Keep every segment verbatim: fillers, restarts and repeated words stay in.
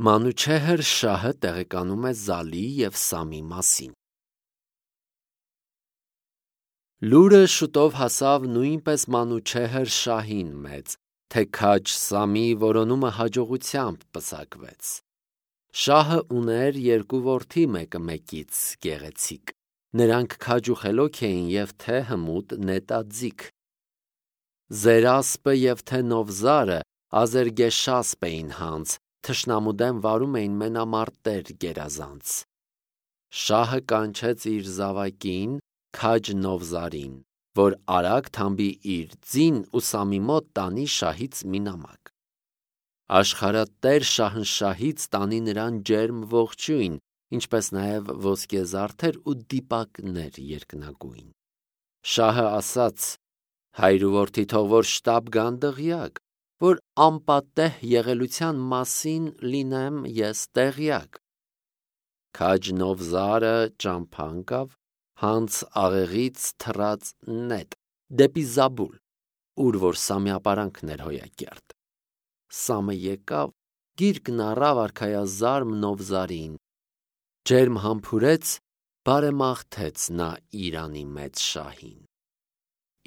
Մանուչեհր շահը տեղեկանում է Զալի և Սամի մասին։ Լուրը շուտով հասավ նույնպես Մանուչեհր շահին մեծ, թե քաջ Սամի որոնումը հաջողությամբ պսակվեց։ Շահը ուներ երկու որդի մեկը մեկից գեղեցիկ, նրանք քաջ ու խելոք էին և թե հմուտ նետաձիգ։ Զերասպը և թե Նովզարը Ազերգեշասպ էին հանձ, թշնամու դեմ վարում էին մենամարտեր գերազանց։ Շահը կանչեց իր զավակին քաջ Նովզարին, որ արագ թամբի իր ձին ու Սամի մոտ տանի շահից մի նամակ։ Աշխարհատեր Շահնշահից տանի նրան ջերմ ողջույն, ինչպես նաև ոսկեզարդեր ու դիպակներ երկնագույն։ Շահը ասաց. հայր ու որդի թող որ շտապ գան դղյակ, որ անպատեհ եղելության մասին լինեմ ես տեղյակ։ Քաջ Նովզարը ճամփա ընկավ, հանց աղեղից թռած նետ, դեպի Զաբուլ, ուր որ Սամի ապարանքն էր հոյակերտ։ Սամը եկավ, գիրկն առավ արքայազարմ Նովզարին, ջերմ համբուրեց, բարեմաղթեց նա Իրանի մեծ շահին։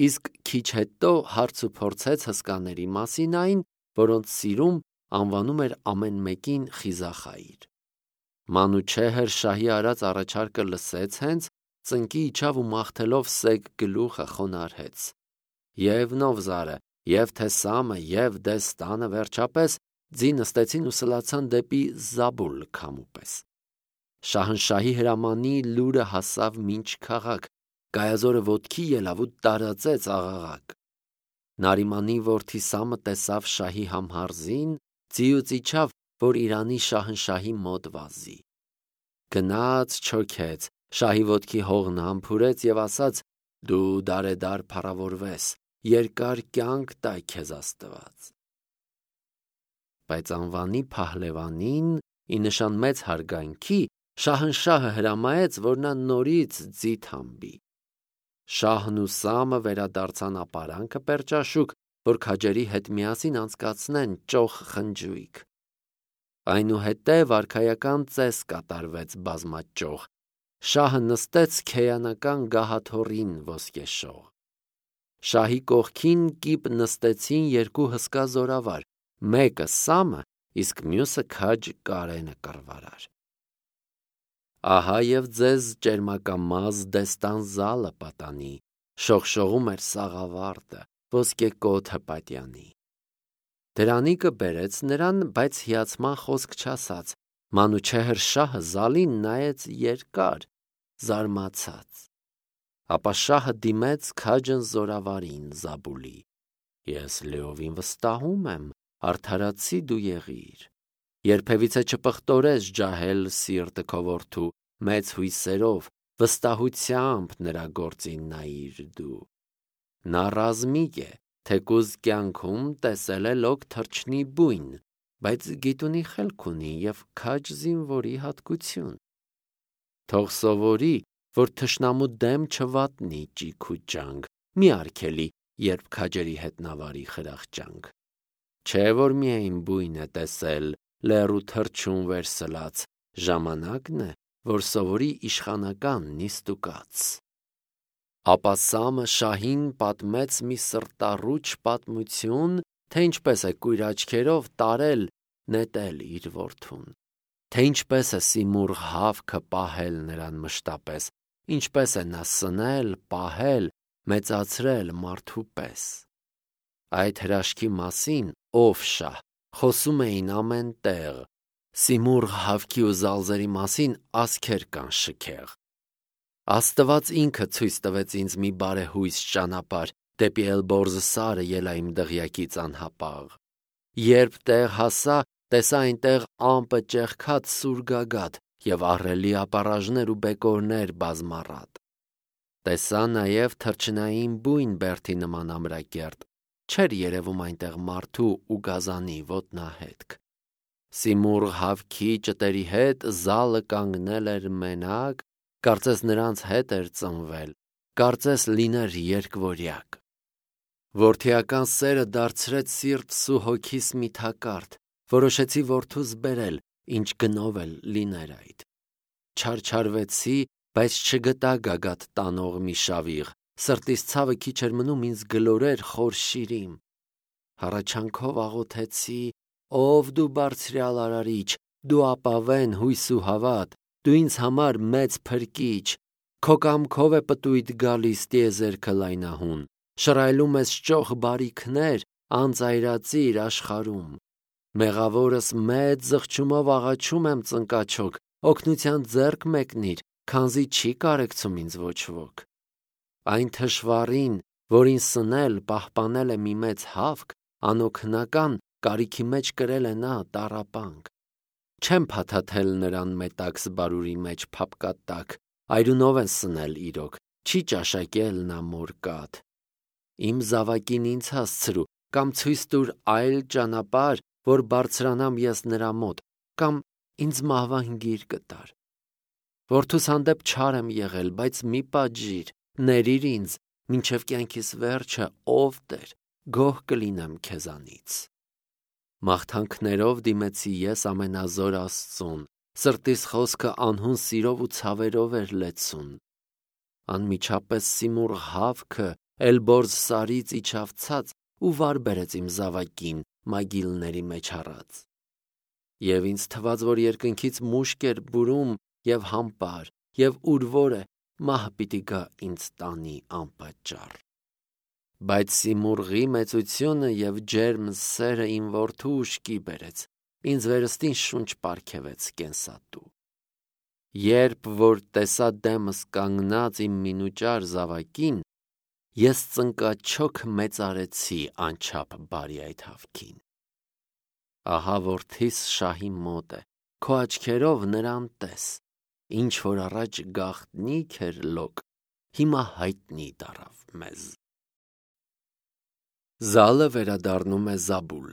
Իսկ քիչ հետո հարց ու փորձեց հսկաների մասին այն, որոնց սիրում անվանում էր ամեն մեկին խիզախայր։ Մանուչեհր շահի արած առաջարկը լսեց հենց, ծնկի իջավ ու մաղթելով սեգ գլուխը խոնարհեց։ Եվ Նովզարը, և թե Սամը, և Դեստանը վերջապես ձի նստեցին ու սլացան դեպի Զաբուլ քամուպես։ Շահնշահի հրամանի լուրը հասավ մինչ քաղաք, Գայազորը ոտքի ելավ ու տարածեց աղաղակ։ Նարիմանի որդի Սամը տեսավ շահի համհարզին, ձիուց իջավ, որ Իրանի Շահնշահի մոտ վազի։ Գնաց չոքեց, շահի ոտքի հողն համբուրեց և ասաց. դու դարեդար փառավորվես, երկար կյանք տա քեզ Աստված։ Բայց անվանի փահլևանին, ի նշան մեծ հարգանքի, Շահնշահը հրամայեց, որ նա նորից ձի թամբի։ Շահն ու Սամը վերադարձան ապարանքը պերճաշուկ, որ քաջերի հետ միասին անցկացնեն ճոխ խնջույք։ Այնուհետև արքայական ծես կատարվեց բազմաճոխ։ Շահը նստեց քեյանական գահաթոռին ոսկեշող։ Շահի կողքին կիպ նստեցին երկու հսկա զորավար, մեկը Սամը, իսկ մյուսը քաջ Կարենը կռվարար։ Ահա և ձեզ ճերմակամազ Դեստան Զալը պատանի, շողշողում էր սաղավարտը, ոսկեկոթը պատյանի։ Դրանիկը բերեց նրան, բայց հիացման խոսք չասաց։ Մանուչեհր շահը Զալին նայեց երկար, զարմացած։ Ապա շահը դիմեց քաջն զորավարին Զաբուլի. ես լիովին վստահում եմ, արդարացի դու եղիր։ Երբևիցե չպղտորես ջահել սիրտը քո որդու, մեծ հույսերով, վստահությամբ նրա գործին նայիր դու։ Նա ռազմիկ է, թեկուզ կյանքում տեսել է լոկ թռչնի բույն, բայց գիտունի խելք ունի և քաջ զինվորի հատկություն։ Թող սովորի, որ թշնամու դեմ չվատնի ճիգ ու ջանք, մի արգելի, երբ քաջերի հետ նավարի խրախճանք։ Չէ որ միայն բույն է տեսել, լեռու թռչուն վերսլած, ժամանակն է, որ սովորի իշխանական նիստուկաց։ Ապա Սամը շահին պատմեց մի սրտառուչ պատմություն, թե ինչպես է կույր աչքերով տարել, նետել իր որդուն, թե ինչպես է սիմուրղ հավքը պահել նրան մշտապես, ինչպես է նա սնել, պահել, մեծացրել մարդու պես։ Այդ հրաշքի մասին, ով շահ, խոսում էին ամեն տեղ, սիմուրղ հավքի ու զալզերի մասին ասքեր կան շքեղ։ Աստված ինքը ցույց տվեց ինձ մի բարեհույս ճանապարհ, դեպի Էլբորզ սարը ելա իմ դղյակից անհապաղ։ Երբ տեղ հասա, տեսա այնտեղ ամպը ճեղքած սուր գագաթ և ահռելի ապառաժներ ու բեկորներ բազմառատ։ Տեսա նաև թռչնային բույն բերդի նման ամրակերտ, չէր երևում այնտեղ մարդու ու գազանի ոտնահետք։ Սիմուրղ հավքի ճտերի հետ Զալը կանգնել էր մենակ, կարծես նրանց հետ էր ծնվել, կարծես լիներ երկվորյակ։ Որդիական սերը դարձրեց սիրտս ու հոգիս մի թակարդ, որոշեցի որդուս բերել, ինչ գնով էլ լիներ այդ։ Չարչարվեցի, բայց չգտա գագաթ տանող մի շավիղ, սրտիս ցավը քիչ էր մնում ինձ գլորեր խոր շիրիմ։ Հառաչանքով աղոթեցի. «Ով դու բարձրյալ արարիչ, դու ապավեն հույս ու հավատ, դու ինձ համար մեծ փրկիչ, քո կամքով է պտույտ գալիս տիեզերքը լայնահուն, շռայլում ես ճոխ բարիքներ, անծայրածիր աշխարհում։ Մեղավորս մեծ զղջումով աղաչում եմ ծնկաչոք, օգնության ձեռք մեկնիր, քանզի չի կարեկցում ինձ ոչ ոք։ Այն թշվառին, որին սնել պահպանել է մի մեծ հավք, անօգնական կարիքի մեջ կրել է նա տառապանք։ Չեմ փաթաթել նրան մետաքս բարուրի մեջ փապկատակ, այրունով են սնել իրոք, չի ճաշակել նա մորկատ։ Իմ զավակին ինձ հասցրու, կամ ցույց տուր այլ ճանապարհ, որ բարձրանամ ես նրա մոտ, կամ ինձ մահվան գիր կտար։ Որդուս հանդեպ չար եմ եղել, բայց մի պատժիր, ներիր ինձ, մինչև կյանքիս վերջը, ով Տեր, գոհ կլինեմ քեզանից։ Մաղթանքներով դիմեցի ես ամենազոր Աստծուն, սրտիս խոսքը անհուն սիրով ու ցավերով էր լեցուն։ Անմիջապես Սիմուռ հավքը Էլբորզ սարից իջավ ցած ու վար բերեց իմ զավակին մագիլների մեջ առած։ Եվ ինձ թվաց, որ երկնքից մուշկ էր բուրում և համբար, և ուր որ է, մահ պիտի գա ինձ տանի անպատճառ։ Բայց Սիմուռղի մեծությունը և ջերմ սերը իմ որդու ուշքի բերեց, ինձ վերստին շունչ պարգևեց կենսատու։ Երբ որ տեսա դեմս կանգնած իմ մինուճար զավակին, ես ծնկաչոք մեծարեցի անչափ բարի այդ հավքին։ Ահա որդիս շահի մոտ է, քո աչքերով նրան տես, ինչ որ առաջ գաղտնիք էր լոկ, հիմա հայտնի դառավ մեզ։ Զալը վերադառնում է Զաբուլ։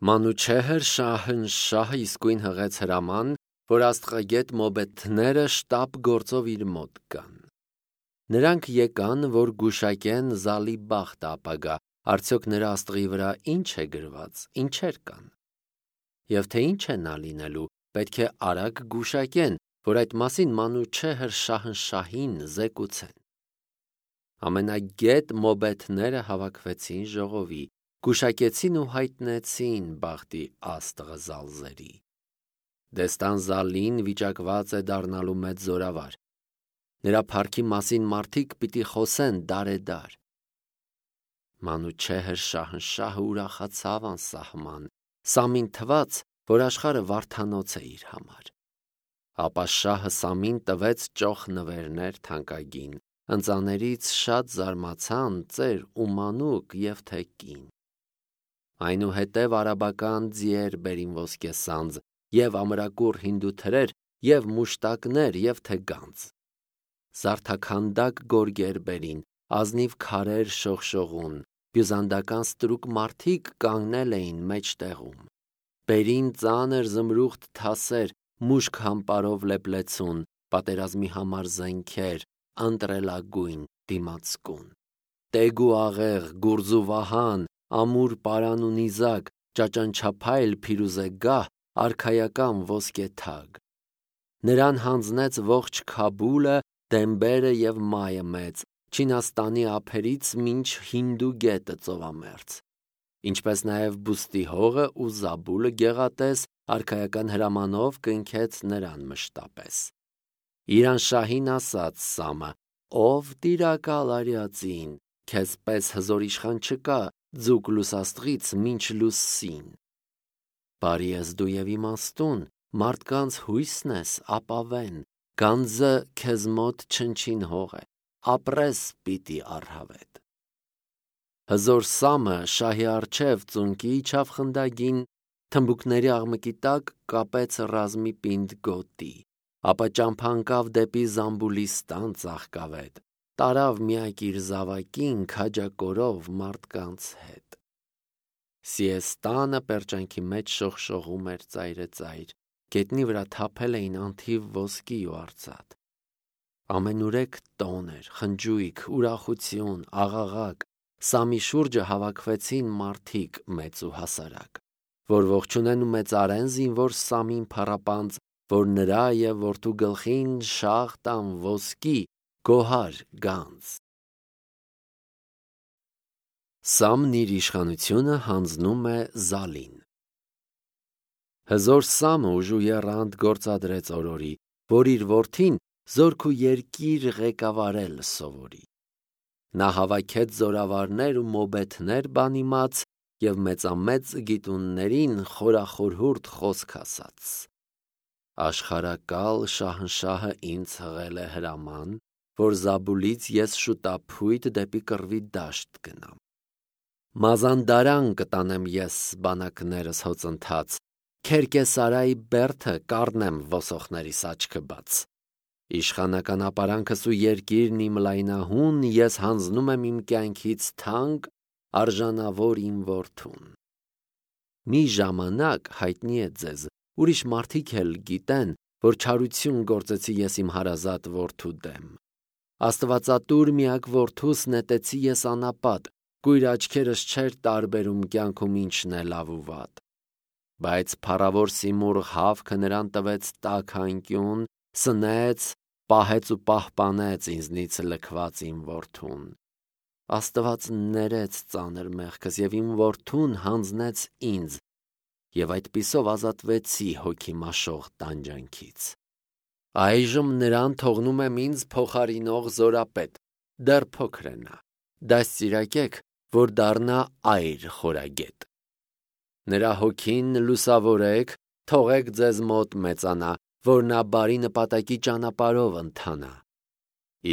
Մանուչեհր Շահնշահը իսկույն հղեց հրաման, որ աստղագետ մոբեթները շտապ գործով իր մոտ գան։ Նրանք եկան, որ գուշակեն Զալի բախտը ապագա, արդյոք նրա աստղի վրա ինչ է գրված, ինչեր կան։ Եվ թե ինչ է նա լինելու, պետք է արագ գուշակեն, որ այդ մասին Մանուչեհր Շահնշահին զեկուցեն։ Ամենագետ մոբեթները հավաքվեցին ժողովի, գուշակեցին ու հայտնեցին բախտի աստղը Զալզերի։ Դեստան Զալին վիճակված է դառնալու մեծ զորավար։ Նրա փառքի մասին մարդիկ պիտի խոսեն դարեդար։ Մանուչեհր Շահնշահը ուրախացավ անսահման, Սամին թվաց, որ աշխարհը վարդանոց է իր համար։ Ապա շահը Սամին տվեց ճոխ նվերներ թանկագին, ընծաներից շատ զարմացան ծեր ու մանուկ և թե կին։ Այնուհետև արաբական ձիեր բերին ոսկեսանձ, և ամրակուռ հինդու թրեր, և մուշտակներ, և թե գանձ։ Զարդաքանդակ գորգեր բերին, ազնիվ քարեր շողշողուն, բյուզանդական ստրուկ մարդիկ կանգնել էին մեջտեղում։ Բերին ծանր զմրուխտ թասեր, մուշկ համպարով լեփլեցուն, պատերազմի համար զենքեր, ընտրելագույն դիմացկուն։ Տեգ ու աղեղ, գուրզ ու վահան, ամուր պարան ու նիզակ, ճաճանչափայլ փիրուզե գահ, արքայական ոսկե թագ։ Նրան հանձնեց ողջ Քաբուլը, Դեմբերը և Մայը մեծ, Չինաստանի ափերից մինչ Հինդու գետը ծովամերձ, ինչպես նաև Բուստի հողը ու Զաբուլը գեղատես արքայական հրամանով կնքեց նրան մշտապես։ Իրանշահին ասաց Սամը. «Ով տիրակալ արյածին, քեզ պես հզոր իշխան չկա ձուկ լուսաստղից մինչ լուսին։ Բարի ես դու և իմաստուն, մարդկանց հույսն ես, ապավեն, գանձը քեզ մոտ չնչին հող է, ապրես պիտի առհավետ»։ Հզոր Սամը շահի առջև ծունկի իջավ խնդագին, թմբուկների աղմկի տակ կապեց ռազմի պինդ գոտի, ապա ճամփա ընկավ դեպի Զամբուլիստան ծաղկավետ, տարավ միակ իր զավակին քաջակորով մարդկանց հետ։ Սիեստանը պերճանքի մեջ շողշողում էր ծայրեծայր, գետնի վրա թափել էին անթիվ ոսկի ու արծաթ։ Ամենուրեք տոն էր, խնջույք, ուրախություն, աղաղակ, Սամի շուրջը հավաքվեցին մարդիկ մեծ ու հասարակ։ որ ողջունեն ու մեծարեն զինվոր Սամին փառապանծ, որ նրա և որդու գլխին շաղ տան ոսկի գոհար գանձ։ Սամն իր իշխանությունը հանձնում է Զալին։ Հզոր Սամը ուժու եռանդ գործադրեց օրորի, որ իր որդին զորք ու երկիր ղեկավարել սովորի։ Նա հավաքեց զորավարներ ու մոբեթներ բանիմաց և մեծամեծ գիտուններին խորախորհուրդ խոսք ասաց։ Աշխարհակալ շահնշահը ինձ հղել է հրաման, որ Զաբուլից ես շուտափույթ դեպի կռվի դաշտ գնամ։ Մազանդարան կտանեմ ես բանակներս հոծընթաց, Քերկեսարայի բերդը կառնեմ ոսոխներիս աչքը բաց։ Իշխանական ապարանքս ու երկիրն իմ լայնահուն ես հանձնում եմ իմ կյանքից թանկ, արժանավոր իմ որդուն։ Մի ժամանակ հայտնի է ձեզ, ուրիշ մարդիկ էլ գիտեն, որ չարություն գործեցի ես իմ հարազատ որդու դեմ։ Աստվածատուր միակ որդուս նետեցի ես անապատ, կույր աչքերս չէր տարբերում կյանքում ինչն է լավ ու վատ։ Բայց փառավոր Սիմուռ հավքը նրան տվեց տաք անկյուն, սնեց, պահեց ու պահպանեց ինձնից լքված իմ որդուն։ Աստված ներեց ծանր մեղքս և իմ որդուն հանձնեց ինձ, և այդպիսով ազատվեցի հոգի մաշող տանջանքից։ Այժմ նրան թողնում եմ ինձ փոխարինող զորապետ, դեռ փոքր է նա, դաստիարակեք, որ դառնա այր խորագետ։ Նրա հոգին լուսավորեք, թողեք ձեզ մոտ մեծանա, որ նա բարի նպատակի ճանապարհով ընթանա։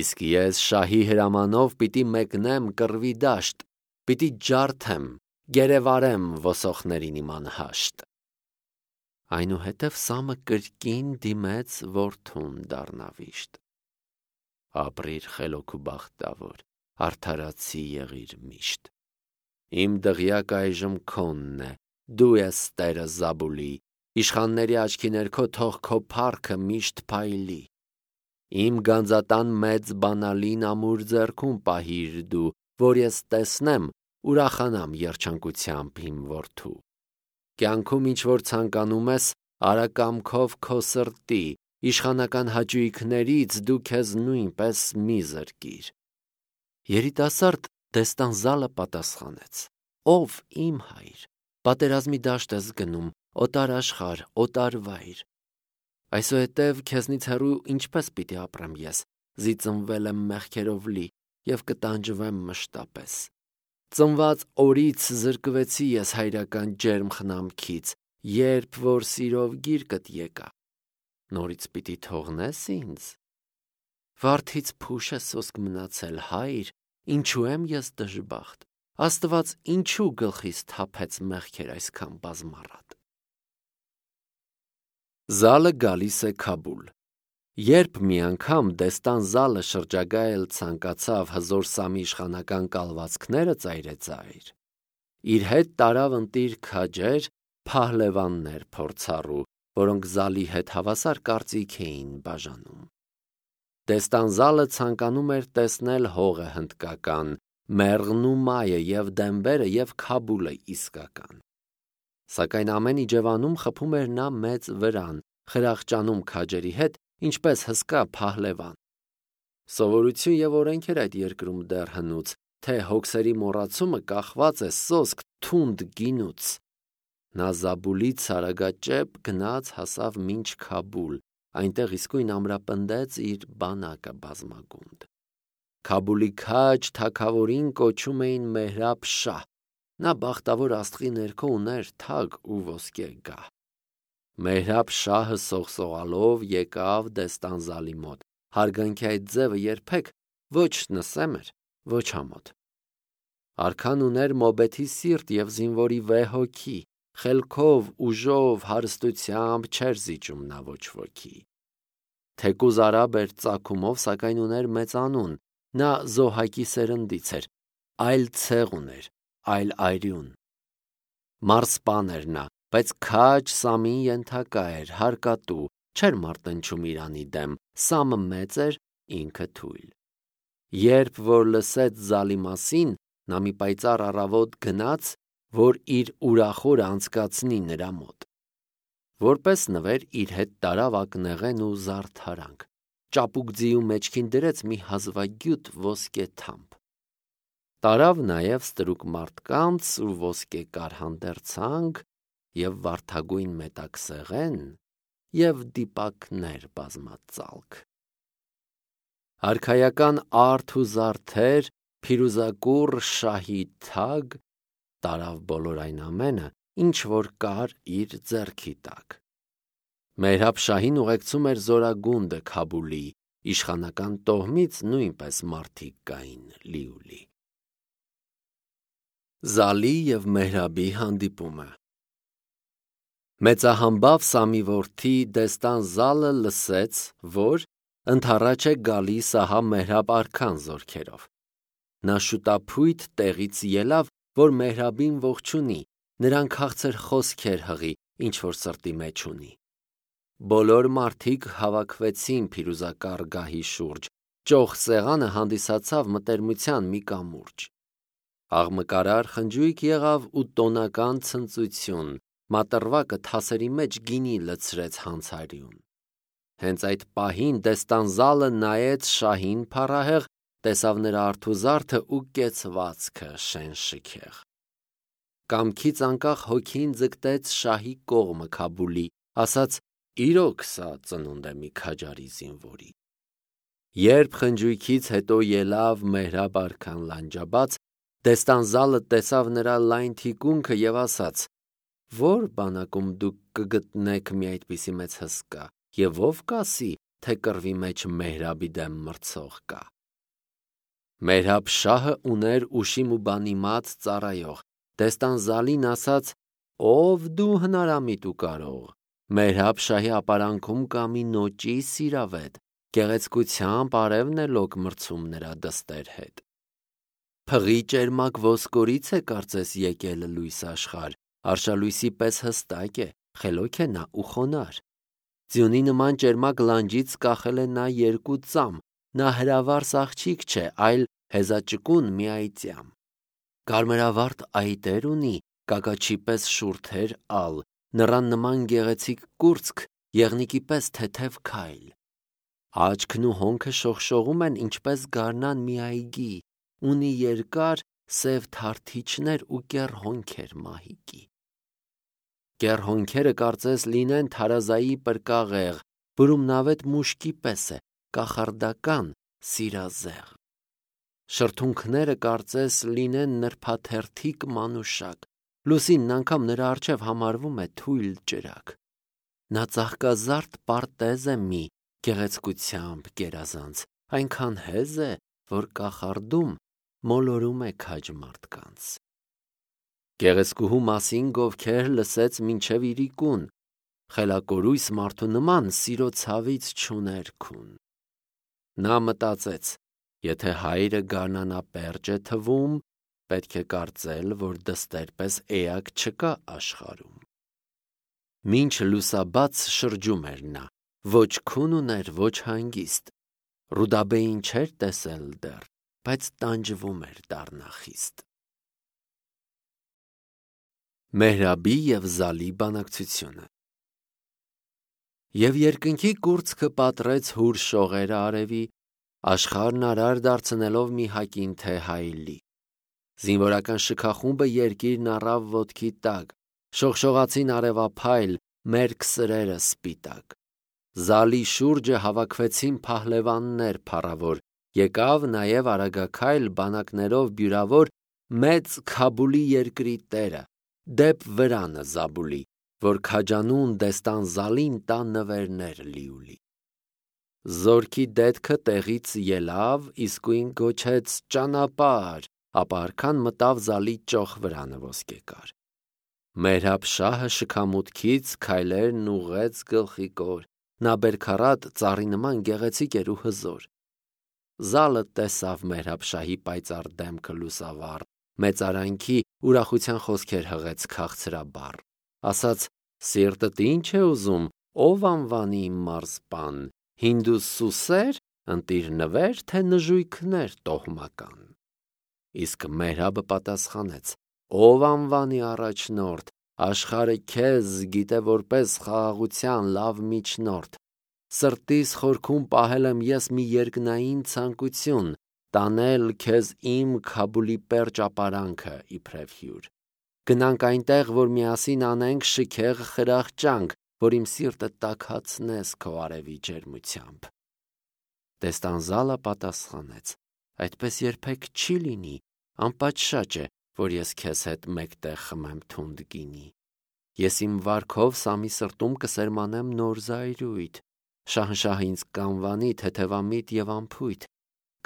Իսկ ես շահի հրամանով պիտի մեկնեմ կռվի դաշտ, պիտի ջարդեմ, գերեվարեմ ոսոխներին իմ անհաշտ։ Այնուհետև Սամը կրկին դիմեց որդուն դառնավիշտ. Ապրիր խելոք ու բախտավոր, արդարացի եղիր միշտ։ Իմ դղյակը այժմ քոնն է, դու ես տերը Զաբուլի, իշխանների աչքի ներքո թող քո փառքը միշտ փայլի։ Իմ գանձատան մեծ բանալին ամուր ձեռքում պահիր դու, որ ես տեսնեմ, ուրախանամ երջանկությամբ իմ որդու։ Կյանքում ինչ որ ցանկանում ես, արա կամքով քո սրտի, իշխանական հաճույքներից դու քեզ նույնպես մի զրկիր։ Երիտասարդ Դեստանզալը պատասխանեց. Ով իմ հայր, պատերազմի դաշտ ես գնում, օտար աշխարհ, օտար վայր։ Այսուհետև քեզնից հեռու ինչպես պիտի ապրեմ ես, զիծնվել եմ մեղքերով լի և կտանջվեմ մշտապես։ Ծնված օրից զրկվեցի ես հայրական ջերմ խնամքից, երբ որ սիրով գիրկդ եկա, նորից պիտի թողնես ինձ։ Վարդից փուշ է սոսկ մնացել, հայր, ինչու եմ ես դժբախտ, Աստված ինչու գլխիս թափեց մեղքեր այսքան բազմառատ։ Զալը գալիս է Քաբուլ։ Երբ մի անգամ Դեստանզալը շրջագայել ցանկացավ հզոր Սամի իշխանական կալվածքները ծայրեծայր, իր հետ տարավ ընտիր քաջեր, փահլևաններ փորձառու, որոնք Զալի հետ հավասար կարծիք էին բաժանում։ Դեստանզալը ցանկանում էր տեսնել հողը հնդկական, մեղրն ու մայը և դեմբերը և Քաբուլը իսկական։ Սակայն ամեն իջևանում խփում էր նա մեծ վրան, խրախճանում քաջերի հետ, ինչպես հսկա փահլևան։ Սովորություն և օրենք էր այդ երկրում դեռ հնուց, թե հոգսերի մոռացումը կախված է սոսկ թունդ գինուց։ Նա Զաբուլից արագաճեպ գնաց հասավ մինչ Քաբուլ, այնտեղ իսկույն ամրապնդեց իր բանակը բազմագունդ։ Քաբուլի քաջ թագավորին կոչում էին Մեհրաբ շահ, նա բախտավոր աստղի ներքո ուներ թագ ու ոսկե գահ։ Մեհրաբ շահը սողսողալով եկավ Դեստանզալի մոտ, հարգանքի այդ ձևը երբեք ոչ նսեմ էր, ոչ ամոթ։ Արքան ուներ մոբեթի սիրտ և զինվորի վեհ հոգի, խելքով, ուժով, հարստությամբ չէր զիջում նա ոչ ոքի։ Թեկուզ արաբ էր ծագումով, սակայն ուներ մեծ անուն, նա Զոհակի սերնդից էր, այլ ցեղ ուներ, այլ այրյուն։ Մարսպան էր նա, բայց քաջ Սամին ենթակա էր, հարկատու, չէր մարտնչում իրանի դեմ, Սամը մեծ էր, ինքը թույլ։ Երբ որ լսեց Զալի մասին, նա մի պայծառ առավոտ գնաց, որ իր ուրախորը անցկացնի նրա մոտ։ Որպես նվեր իր հետ տարավ ակնեղեն ու զարդարանք, ճապուկ ձիու մեջքին դրեց մի հազվագյուտ ոսկե թամփ։ Տարավ նաև ստրուկ մարդկանց ու ոսկեկար հանդերձանք և վարդագույն մետաքսեղեն և դիպակներ բազմածալք։ Արքայական արդ ու զարդեր, փիրուզակուռ շահի թագ տարավ բոլոր այն ամենը, ինչ որ կար իր ձեռքի տակ։ Մեհրաբ շահին ուղեկցում էր զորագունդը Քաբուլի, իշխանական տոհմից նույնպես մարդիկ կային լիուլի։ Զալի և Մեհրաբի հանդիպումը։ Մեծահամբավ Սամի որդի Դեստան Զալը լսեց, որ ընդառաջ է գալիս ահա Մեհրաբ արքան զորքերով։ Նա շուտափույթ տեղից ելավ, որ Մեհրաբին ողջունի, նրան քաղցր խոսքեր հղի, ինչ որ սրտի մեջ ունի։ Բոլոր մարդիկ հավաքվեցին փիրուզակառ գահի շուրջ, ճոխ սեղանը հանդիսացավ մտերմության մի կամուրջ։ Աղմկարար խնջույք եղավ ու տոնական ցնծություն, մատռվակը թասերի մեջ գինի լցրեց հանցարյուն։ Հենց այդ պահին Դեստան Զալը նայեց շահին փառահեղ, տեսավ նրա արթուզարդը ու կեցվածքը շեն-շքեղ։ Կամքից անկախ հոգին ձգտեց շահի կողմը Քաբուլի, ասաց. «Իրոք սա ծնունդ է մի քաջարի զինվորի»։ Երբ խնջույքից հետո ելավ Մեհրաբ արքան լանջաբաց, Դեստան Զալը տեսավ նրա լայն թիկունքը և ասաց. «Ո՞ր բանակում դուք կգտնեք մի այդպիսի մեծ հսկա, և ո՞վ կասի, թե կռվի մեջ Մեհրաբի դեմ մրցող կա»։ Մեհրաբ շահը ուներ ուշիմ ու բանիմաց ծառայող։ Դեստան Զալին ասաց. «Ո՞վ դու հնարամիտ ու կարող։ Մեհրաբ շահի ապարանքում կա մի նոճի սիրավետ, գեղեցկությամբ արևն է լոկ մրցում նրա դստեր հետ։ Փղի ճերմակ ոսկորից է կարծես եկել լույս աշխարհ, արշալույսի պես հստակ է, խելոք է նա ու խոնարհ։ Ձյունի նման ճերմակ լանջից կախել է նա երկու ծամ, նա հրավառ աղջիկ չէ, այլ հեզաճկուն մի այծյամ։ Կարմրավարդ այտեր ունի, կակաչի պես շուրթեր ալ, նռան նման գեղեցիկ կուրծք, եղնիկի պես թեթև քայլ։ Աչքն ու հոնքը շողշողում են ինչպես գարնան մի այգի, ունի երկար սև թարթիչներ ու կեռ հոնքեր մահիկի։ Կեռ հոնքերը կարծես լինեն թարազայի պրկաղեղ, բրումնավետ մուշկի պես է, կախարդական, սիրազեղ։ Շրթունքները կարծես լինեն նրբաթերթիկ մանուշակ, լուսինն անգամ նրա առջև համարվում է թույլ ճրագ։ Նա ծաղկազարդ պարտեզ է մի, գեղեցկությամբ գերազանց, այնքան հեզ է, որ կախարդում մոլորում է քաջ մարդկանց։ Գեղեցկուհու մասին գովքեր լսեց մինչև իրիկուն, խելակորույս մարդու նման սիրո ցավից չուներ քուն։ Նա մտածեց. եթե հայրը գարնանապերճ է թվում, պետք է կարծել, որ դստեր պես էակ չկա աշխարհում։ Մինչ լուսաբաց շրջում էր նա, ոչ քուն ուներ, ոչ հանգիստ, Ռուդաբեին չէր տեսել դեռ, բայց տանջվում էր դառնա խիստ։ Մեհրաբի և Զալի բանակցությունը։ Եվ երկնքի կուրծքը պատռեց հուր շողերը արևի, աշխարհն արար դարձնելով մի հակին թե հայլի։ Զինվորական շքախումբը երկիրն առավ ոտքի տակ, շողշողացին արևափայլ, մերկ սրերը սպիտակ։ Զալի շուրջը հավաքվեցին փահլևաններ փառավոր, եկավ նաև արագաքայլ բանակներով բյուրավոր մեծ Քաբուլի երկրի տերը, դեպ վրանը Զաբուլի, որ քաջանուն Դեստան Զալին տա նվերներ լիուլի։ Զորքի դետքը տեղից ելավ, իսկույն գոչեց ճանապարհ, ապա արքան մտավ Զալի ճոխ վրանը ոսկեկար։ Մեհրաբ շահը շքամուտքից քայլերն ուղղեց գլխիկոր, նա բերքառատ ծառի նման գեղեցիկ էր ու հզոր։ Զալը տեսավ Մեհրաբ շահի պայծառ դեմքը լուսավառ, մեծարանքի ուրախության խոսքեր հղեց քաղցրաբառ, ասաց. «Սիրտդ ի՞նչ է ուզում, ով անվանի իմ մարզպան, հինդ ու սուսե՞ր, ընտիր նվեր, թե նժույգներ տոհմական»։ Իսկ Մեհրաբը պատասխանեց. ով անվանի առաջնորդ, աշխարհը քեզ գիտե որպես խաղաղության լավ միջնորդ։ Սրտիս խորքում պահել եմ ես մի երկնային ցանկություն, տանել քեզ իմ Քաբուլի պերճ ապարանքը իբրև հյուր։ Գնանք այնտեղ, որ միասին անենք շքեղ խրախճանք, որ իմ սիրտը տաքացնես քո արևի ջերմությամբ։ Տեստանզալը պատասխանեց. այդպես երբեք չի լինի, անպատշաճ է, որ ես քեզ հետ մեկտեղ խմեմ թունդ գինի։ Ես իմ վարքով Սամի սրտում կսերմանեմ նոր զայրույթ, շահնշահը ինձ կանվանի թեթևամիտ եւ անփույթ,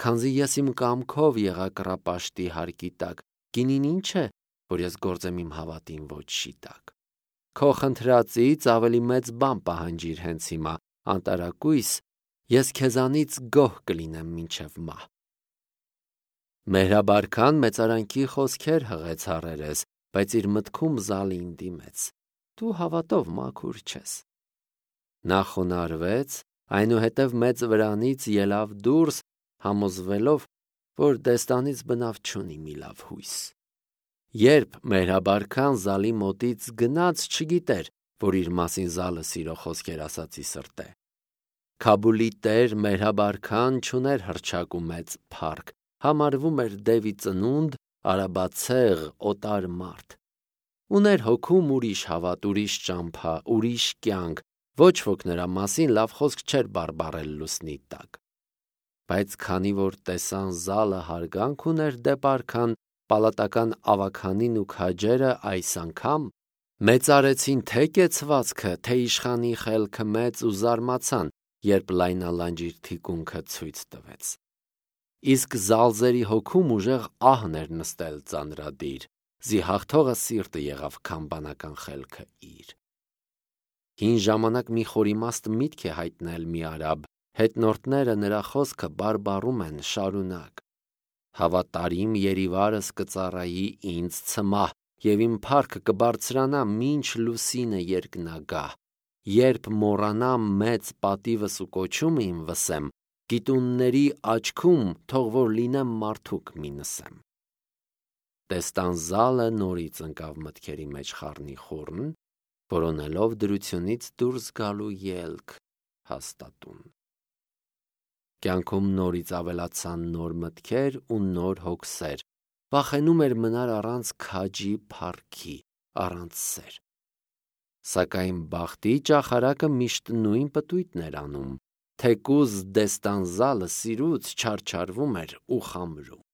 քանզի ես իմ կամքով եղա կռապաշտի հարկի տակ, գինին ինչ է, որ ես գործեմ իմ հավատին ոչի տակ։ Քո խնդրածից ավելի մեծ բան պահանջիր հենց հիմա, անտարակույս, ես քեզանից գոհ կլինեմ մինչև մահ։ Մեհրաբարքան մեծարանքի խոսքեր հղեց հարերես, բայց իր մտքում Զալին դիմեց. Դու հավատով մաքուր չես։ Նա խոնարհվեց, այնուհետև մեծ վրանից ելավ դուրս, համոզվելով, որ դեստանից բնավ չունի մի լավ հույս։ Երբ մեհրաբարքան Զալի մոտից գնաց, չգիտեր, որ իր մասին Զալը սիրո խոսքեր ասացի սրտ է։ Քաբուլի տեր մեհրաբարքան չուներ հռչակ ու մեծ փառք, համարվում էր դևի ծնունդ, արաբացեղ, օտար մարդ։ Ուներ հոգում ուրիշ հավատ, ուրիշ ճամփա, ուրիշ կյանք, ոչ ոք նրա մասին լավ խոսք չէր բարբառել լուսնի տակ։ Բայց քանի որ տեսան Զալը հարգանք ուներ դեպ արքան, պալատական ավագանին ու քաջերը այս անգամ մեծարեցին թե կեցվածքը, թե իշխանի խելքը մեծ ու զարմացան, երբ լայնալանջիր թիկունքը ցույց տվեց։ Իսկ Զալզերի հոգում ուժեղ ահն էր նստել ծանրադիր, զի հաղթողը սիրտը եղավ քամբանական խելքը իր։ Հին ժամանակ մի խորիմաստ միտք է հայտնել մի արաբ, հետնորդները նրա խոսքը բարբառում են շարունակ։ Հավատարիմ երիվարս կծառայի ինձ ցմահ, եւ իմ փառքը կբարձրանա մինչ լուսինը երկնագահ։ Երբ մոռանամ մեծ պատիվս ու կոչումը իմ վսեմ, գիտունների աչքում թող որ լինեմ մարդուկ մի նսեմ։ Տեստանզալը նորից ընկավ մտքերի մեջ խառնիխուռն, որոնելով դրությունից դուրս գալու ելք հաստատուն։ Կյանքում նորից ավելացան նոր մտքեր ու նոր հոգսեր, վախենում էր մնալ առանց քաջի փառքի, առանց սեր։ Սակայն բախտի ճախարակը միշտ նույն պտույտն էր անում, թեկուզ Դեստանզալը սիրուց չարչարվում էր ու խամրում։